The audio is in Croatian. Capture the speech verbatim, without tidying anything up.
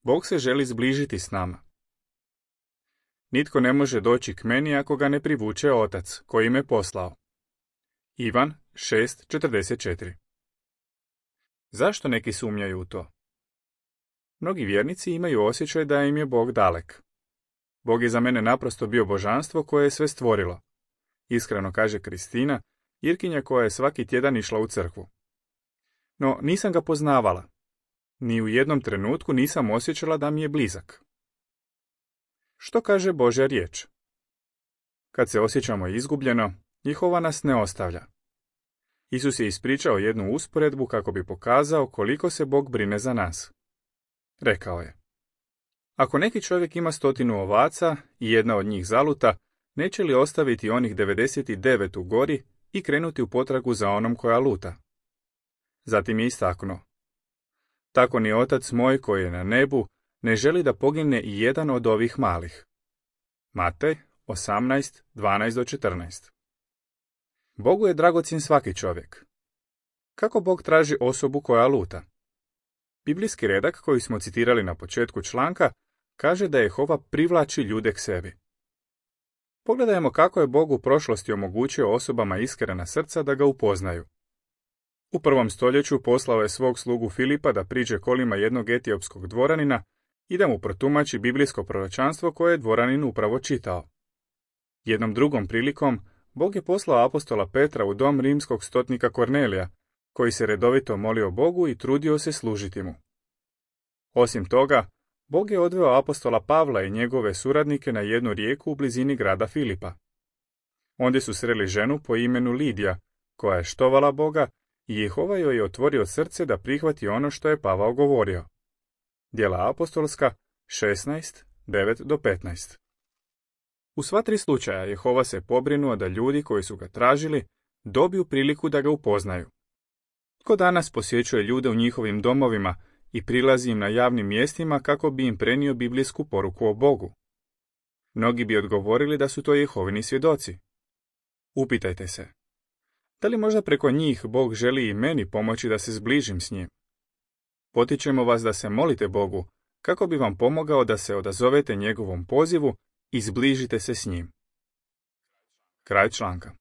Bog se želi zbližiti s nama. Nitko ne može doći k meni ako ga ne privuče Otac, koji me poslao. Ivan šest četrdeset četiri. Zašto neki sumnjaju u to? Mnogi vjernici imaju osjećaj da im je Bog dalek. Bog je za mene naprosto bio božanstvo koje je sve stvorilo. Iskreno kaže Kristina, Irkinja koja je svaki tjedan išla u crkvu. No, nisam ga poznavala. Ni u jednom trenutku nisam osjećala da mi je blizak. Što kaže Božja riječ? Kad se osjećamo izgubljeno, Jehova nas ne ostavlja. Isus je ispričao jednu usporedbu kako bi pokazao koliko se Bog brine za nas. Rekao je: ako neki čovjek ima stotinu ovaca i jedna od njih zaluta, neće li ostaviti onih devedeset devet u gori i krenuti u potragu za onom koja luta? Zatim je istaknuo: tako ni Otac moj koji je na nebu ne želi da pogine i jedan od ovih malih. Matej osamnaest dvanaest do četrnaest. Bogu je dragocjen svaki čovjek. Kako Bog traži osobu koja luta? Biblijski redak koji smo citirali na početku članka kaže da Jehova privlači ljude k sebi. Pogledajmo kako je Bog u prošlosti omogućio osobama iskrena srca da ga upoznaju. U prvom stoljeću poslao je svog slugu Filipa da priđe kolima jednog etiopskog dvoranina i da mu protumači biblijsko proročanstvo koje je dvoranin upravo čitao. Jednom drugom prilikom Bog je poslao apostola Petra u dom rimskog stotnika Kornelija, koji se redovito molio Bogu i trudio se služiti mu. Osim toga, Bog je odveo apostola Pavla i njegove suradnike na jednu rijeku u blizini grada Filipa. Ondje su sreli ženu po imenu Lidija, koja je štovala Boga i Jehova joj je otvorio srce da prihvati ono što je Pavao govorio. Djela apostolska šesnaest devet do petnaest. U sva tri slučaja Jehova se pobrinuo da ljudi koji su ga tražili dobiju priliku da ga upoznaju. Tko danas posjećuje ljude u njihovim domovima i prilazi im na javnim mjestima kako bi im prenio biblijsku poruku o Bogu? Mnogi bi odgovorili da su to Jehovini svjedoci. Upitajte se, da li možda preko njih Bog želi i meni pomoći da se zbližim s njim? Potičemo vas da se molite Bogu kako bi vam pomogao da se odazovete njegovom pozivu i zbližite se s njim. Kraj članka.